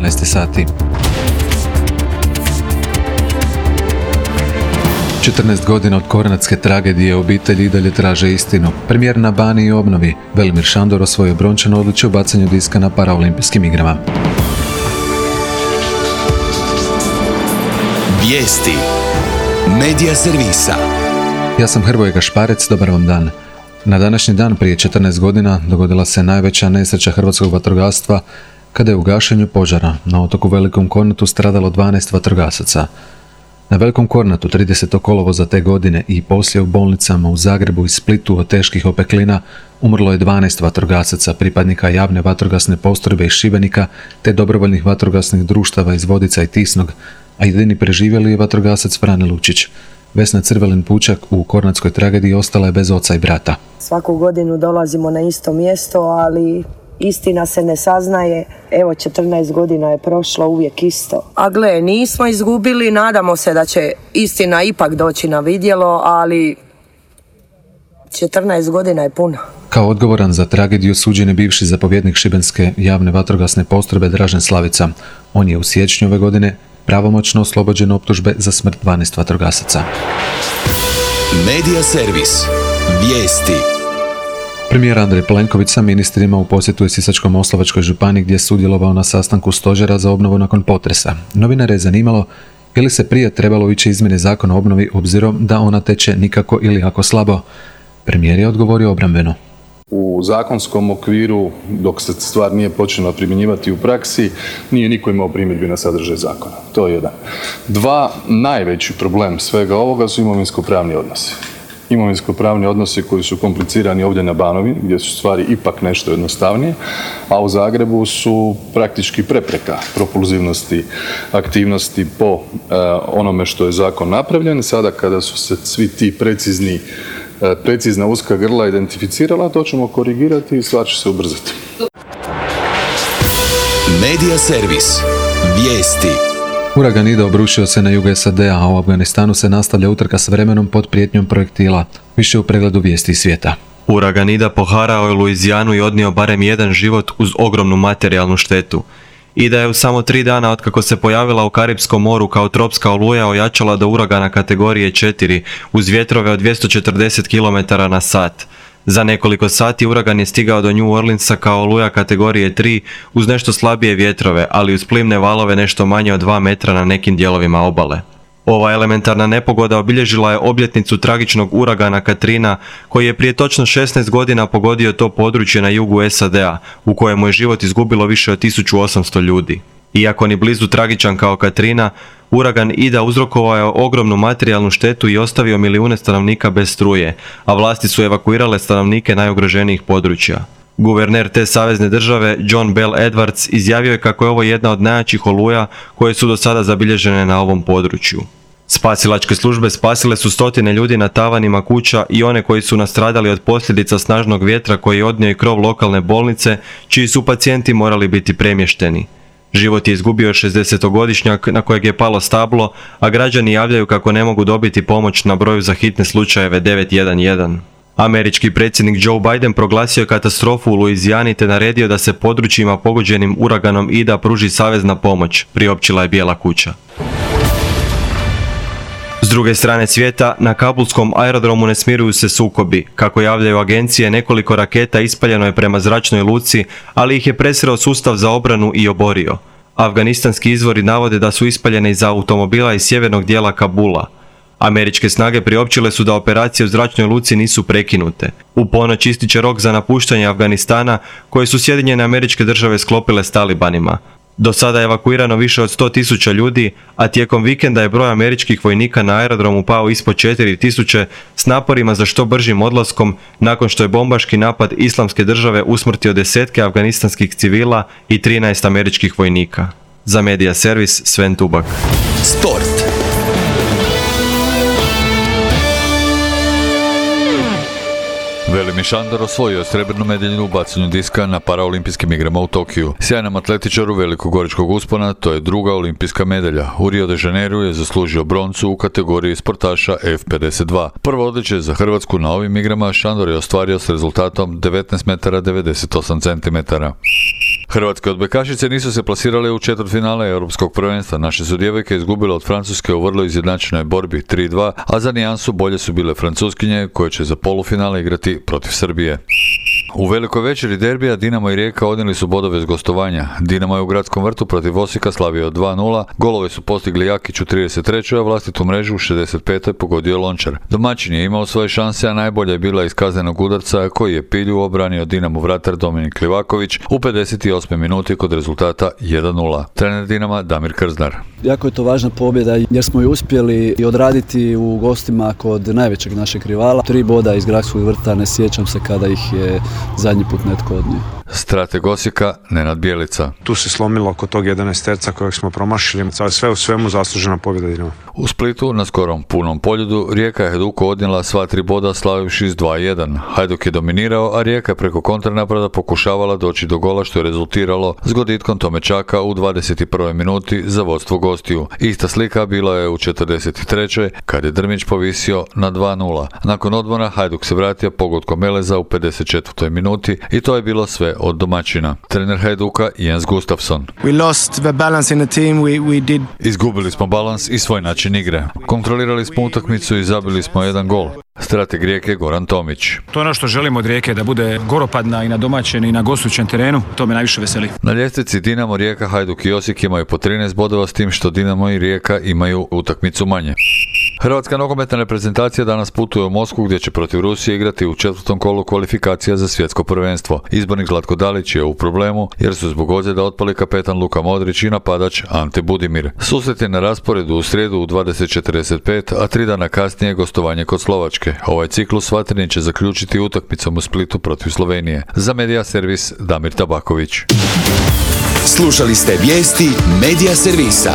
12 sati. 14 godina od kornatske tragedije obitelji i dalje traže istinu. Premijer na Baniji i obnovi. Velimir Šandor osvojio brončanu odličje u bacanju diska na paraolimpijskim igrama. Vijesti Medija servisa. Ja sam Hrvoje Gašparec, dobar vam dan. Na današnji dan prije 14 godina dogodila se najveća nesreća hrvatskog vatrogastva kada je u gašenju požara na otoku Velikom Kornatu stradalo 12 vatrogasaca. Na Velikom Kornatu 30. kolovoza te godine i poslije u bolnicama u Zagrebu i Splitu od teških opeklina umrlo je 12 vatrogasaca, pripadnika javne vatrogasne postrojbe iz Šibenika te dobrovoljnih vatrogasnih društava iz Vodica i Tisnog, a jedini preživjeli je vatrogasac Frane Lučić. Vesna Crvelin-Pučak u kornatskoj tragediji ostala je bez oca i brata. Svaku godinu dolazimo na isto mjesto, ali istina se ne saznaje. Evo, 14 godina je prošlo, uvijek isto. A gle, nismo izgubili, nadamo se da će istina ipak doći na vidjelo, ali 14 godina je puno. Kao odgovoran za tragediju suđen je bivši zapovjednik šibenske javne vatrogasne postrojbe Dražen Slavica. On je u siječnju ove godine pravomoćno oslobođen optužbe za smrt 12 vatrogasaca. Medija servis. Vijesti. Premijer Andrej Plenković sa ministrima u posjetu je Sisačko-moslavačkoj županiji gdje je sudjelovao na sastanku stožera za obnovu nakon potresa. Novinare je zanimalo je li se prije trebalo ići izmjene zakona o obnovi obzirom da ona teče nikako ili jako slabo. Premijer je odgovorio obrambeno. U zakonskom okviru, dok se stvar nije počela primjenjivati u praksi, nije niko imao primjedbi na sadržaj zakona. To je jedan. Dva, najveći problem svega ovoga su imovinsko-pravni odnosi. Imovinsko-pravni odnosi koji su komplicirani ovdje na Banovini, gdje su stvari ipak nešto jednostavnije, a u Zagrebu su praktički prepreka propulzivnosti aktivnosti po onome što je zakon napravljen. Sada kada su se svi ti precizna uska grla identificirala, to ćemo korigirati i stvar će se ubrzati. Medija servis. Vijesti. Uragan Ida obrušio se na jugu SAD-a, a u Afganistanu se nastavlja utrka s vremenom pod prijetnjom projektila. Više u pregledu vijesti svijeta. Uragan Ida poharao je Luizijanu i odnio barem jedan život uz ogromnu materijalnu štetu. Ida je u samo 3 dana otkako se pojavila u Karipskom moru kao tropska oluja ojačala do uragana kategorije 4 uz vjetrove od 240 km/h. Za nekoliko sati uragan je stigao do New Orleansa kao oluja kategorije 3 uz nešto slabije vjetrove, ali uz plimne valove nešto manje od 2 metra na nekim dijelovima obale. Ova elementarna nepogoda obilježila je obljetnicu tragičnog uragana Katrina koji je prije točno 16 godina pogodio to područje na jugu SAD-a u kojemu je život izgubilo više od 1800 ljudi. Iako ni blizu tragičan kao Katrina, uragan Ida uzrokovao je ogromnu materijalnu štetu i ostavio milijune stanovnika bez struje, a vlasti su evakuirale stanovnike najugroženijih područja. Guverner te savezne države, John Bell Edwards, izjavio je kako je ovo jedna od najjačih oluja koje su do sada zabilježene na ovom području. Spasilačke službe spasile su stotine ljudi na tavanima kuća i one koji su nastradali od posljedica snažnog vjetra koji je odnio i krov lokalne bolnice, čiji su pacijenti morali biti premješteni. Život je izgubio 60-godišnjak na kojeg je palo stablo, a građani javljaju kako ne mogu dobiti pomoć na broju za hitne slučajeve 911. Američki predsjednik Joe Biden proglasio je katastrofu u Luizijani te naredio da se područjima pogođenim uraganom Ida pruži savezna pomoć, priopćila je Bijela kuća. S druge strane svijeta, na kabulskom aerodromu ne smiruju se sukobi. Kako javljaju agencije, nekoliko raketa ispaljeno je prema zračnoj luci, ali ih je presreo sustav za obranu i oborio. Afganistanski izvori navode da su ispaljene iz automobila iz sjevernog dijela Kabula. Američke snage priopćile su da operacije u zračnoj luci nisu prekinute. U ponoć ističe rok za napuštanje Afganistana koje su Sjedinjene Američke Države sklopile s talibanima. Do sada je evakuirano više od 100.000 ljudi, a tijekom vikenda je broj američkih vojnika na aerodromu pao ispod 4.000 s naporima za što bržim odlaskom nakon što je bombaški napad Islamske države usmrtio desetke afganistanskih civila i 13 američkih vojnika. Za Medija servis Sven Tubak. Sport. Velimir Šandor osvojio srebrnu medalju u bacanju diska na paraolimpijskim igrama u Tokiju. Sjajnom atletičaru velikogoričkog uspona to je druga olimpijska medalja. U Rio de Janeiru je zaslužio broncu u kategoriji sportaša F52. Prvo odličje za Hrvatsku na ovim igrama Šandor je ostvario s rezultatom 19 metara 98 centimetara. Hrvatske odbojkašice nisu se plasirale u četvrtfinale europskog prvenstva. Naše su djevojke izgubile od Francuske u vrlo izjednačenoj borbi 3-2, a za nijansu bolje su bile Francuskinje koje će za polufinale igrati protiv Srbije. U velikoj večeri derbija Dinamo i Rijeka odnijeli su bodove s gostovanja. Dinamo je u gradskom vrtu protiv Osijeka slavio 2-0, golove su postigli Jakić u 33. a vlastitu mrežu u 65. pogodio Lončar. Domaćin je imao svoje šanse, a najbolja je bila iz kaznenog udarca koji je Pilju obranio Dinamo vratar Dominik Livaković u 58. minuti kod rezultata 1-0. Trener Dinama Damir Krznar. Jako je to važna pobjeda jer smo ju uspjeli odraditi u gostima kod najvećeg našeg rivala. 3 boda iz gradskog vrta, ne sjećam se kada ih je zadnji put netko odnio. Strateg Osijeka Nenad Bjelica. Tu se slomilo oko tog 11-terca kojeg smo promašili, sve u svemu zaslužena pobjeda Dinama. U Splitu na skorom punom poljudu Rijeka je Hajduku odnijela sva 3 boda slavivši s 2-1. Hajduk je dominirao, a Rijeka preko kontranapada pokušavala doći do gola što je rezultiralo s goditkom Tomečaka u 21. minuti za vodstvo gostiju. Ista slika bila je u 43. kad je Drmić povisio na 2-0. Nakon odmora Hajduk se vratio pogodkom Meleza u 54. minuti i to je bilo sve od domaćina. Trener Hajduka Jens Gustafsson. Izgubili smo balans i svoj način igre. Kontrolirali smo utakmicu i zabili smo 1 gol. Strateg Rijeke Goran Tomić. To je ono što želimo od Rijeke, da bude goropadna i na domaćem i na gostujućem terenu. To me najviše veseli. Na ljestvici Dinamo, Rijeka, Hajduk i Osijek imaju po 13 bodova, s tim što Dinamo i Rijeka imaju utakmicu manje. Hrvatska nogometna reprezentacija danas putuje u Moskvu gdje će protiv Rusije igrati u 4. kolu kvalifikacija za svjetsko prvenstvo. Izbornik Zlatko Dalić je u problemu jer su zbog ozljeda otpali kapetan Luka Modrić i napadač Ante Budimir. Susret je na rasporedu u srijedu u 20:45, a 3 dana kasnije gostovanje kod Slovačke. Ovaj ciklus vatreni će zaključiti utakmicom u Splitu protiv Slovenije. Za Medija servis Damir Tabaković. Slušali ste vijesti Medija servisa.